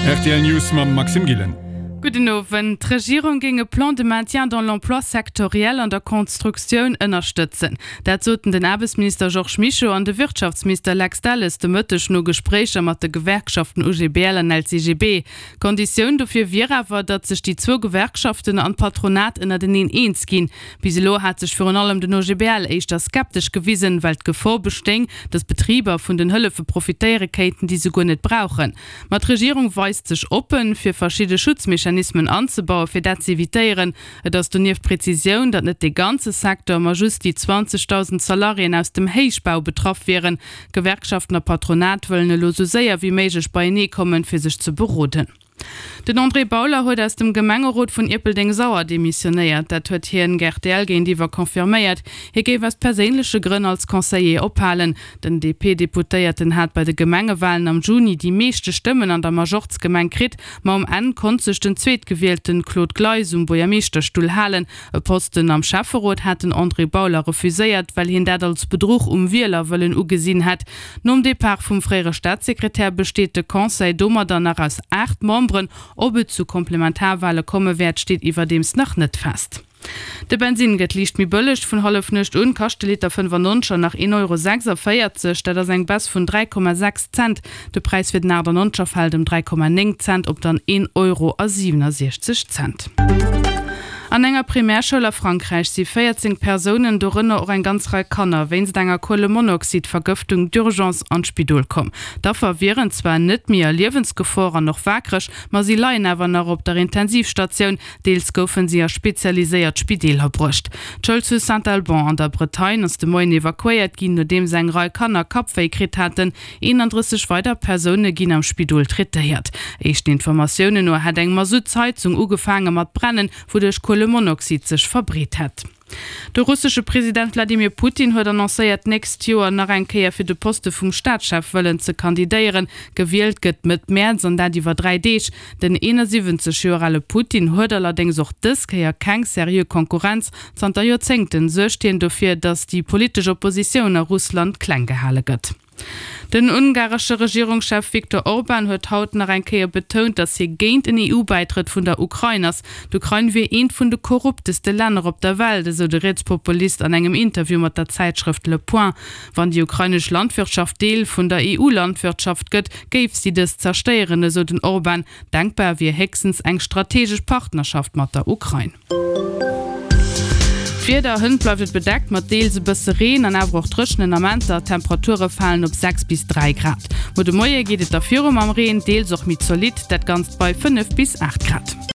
Rtl News mam Maxime Gillen. Gudden Owend. D'Regierung géing e Plan de maintien dans l'emploi sectoriel an der Constructioun ënnerstëtzen. Dat soten den Aarbechtsminister Georges Mischo an de Wirtschaftsminister Lex Delles de Mëtteg no Gespréicher mat de Gewerkschaften OGBL an LCGB. Konditioun dofir wier awer, datt sech déi zwou Gewerkschaften an d'Patronat ënnerteneen eens ginn. Bis elo hat sech virun allem den OGBL éischter skeptesch gewisen, well d'Gefor bestéing, datt Betriber vun den Hëllefe profitéiere kéinten, déi se guer net brauchen. Ma d'Regierung weist sech oppen, fir verschidde Schutzmechanismen anzebauen, fir dat ze evitéieren. Et ass donieft d'Prezisioun, datt net dee ganze Secteur, ma just déi 20.000 Salariéen aus dem Héichbau betraff wieren. Gewerkschaften a Patronat wëllen elo sou séier wéi méiglech beienee kommen, fir sech ze beroden. Den André Bauler huet aus dem Gemengerot vun Ierpeldeng-Sauer demissionéiert. Dat huet hien rtl géintiwwer confirméiert. Hie géif aus perséinleche Grënn als Conseiller ophalen. Den DP-Deputéierten hat bei de Gemengewalen am Juni déi meeschte Stëmmen an der Majorzgemeng kritt, ma um Enn konnt sech den Zweetgewielten Claude Gleis um Buergermeeschterstull halen. E Posten am Schäfferot hat den André Bauler refuséiert, well hien dat als Bedruch um Wielerwëllen ugesinn hätt. Nom Depart vum fréiere Staatssekretär besteet de Conseil domadder nach aus 8 Memberen. Ob et zu Komplementarwale komme wäert, steet iwwerdeems nach net fest. De Bensinn gëtt liicht méi bëlleg, Vun Hallefnuecht un kascht de Liter 95 nach 1,46 Euro, dat ass eng Baisse vun 3,6 Cent. De Präis fir den 98er fält ëm 3,9 Cent op dann 1,67 Euro. An enger Primärschoul a Frankräich si 14 Persounen, dorënner och eng ganz Rei Kanner, wéinst enger Kuelemonoxid-Vergëftung d'urgence an d'Spidol komm. D'Affer wieren zwar net méi a Liewensgefor an och waakreg, ma si leien awer nach op der Intensivstatioun. Deels goufen si a spezialiséiert Spideeler bruecht. D'Schoul zu Saint-Alban an der Bretagne ass de Moien evakuéiert ginn, nodeems eng Rei Kanner Kappwéi kritt haten. 31 weider Persoune ginn am Spidol traitéiert. Éischten Informatiounen no hätt eng Masuttsheizung ugefaange mat brennen, wouduerch Kuelemonoxid sech verbreet hätt. De russesche President Wladimir Putin huet annoncéiert, d'nächst Joer nach eng Kéier fir de Poste vum Staatschef wëllen ze kandidéieren. Gewielt gëtt Mëtt Mäerz an dat iwwer 3 Deeg. Den 71 Joer ale Putin huet allerdéngs och dës Kéier keng seriö Konkurrenz. Zanter Joerzéngten suergt hien dofir, datt déi politesch Oppositioun a Russland kleng gehale gëtt. Den ungaresche Regierungschef Viktor Orban huet haut nach eng Kéier betount, datt hie géint en EU-Bäitrëtt vun der Ukrain ass. D'Ukrain wier eent vun de korrupteste Länner op der Welt, esou de Rietspopulist an engem Interview mat der Zäitschrëft Le Point. Wann déi ukrainesch Landwirtschaft Deel vun der EU-Landwirtschaft gëtt, géif si dës zerstéieren, esou den Orban. Denkbar wier héchstens eng strategesch Partnerschaft mat der Ukrain. D'Wieder, Hënt bleift et bedeckt mat deels e bësse Reen an awer och dréchenen Amenter. D'Temperature falen op 6 bis 3 Grad. Muer de Moie geet et da viru mam Reen, deels och méi zolidd, dat Ganzt bei 5 bis 8 Grad.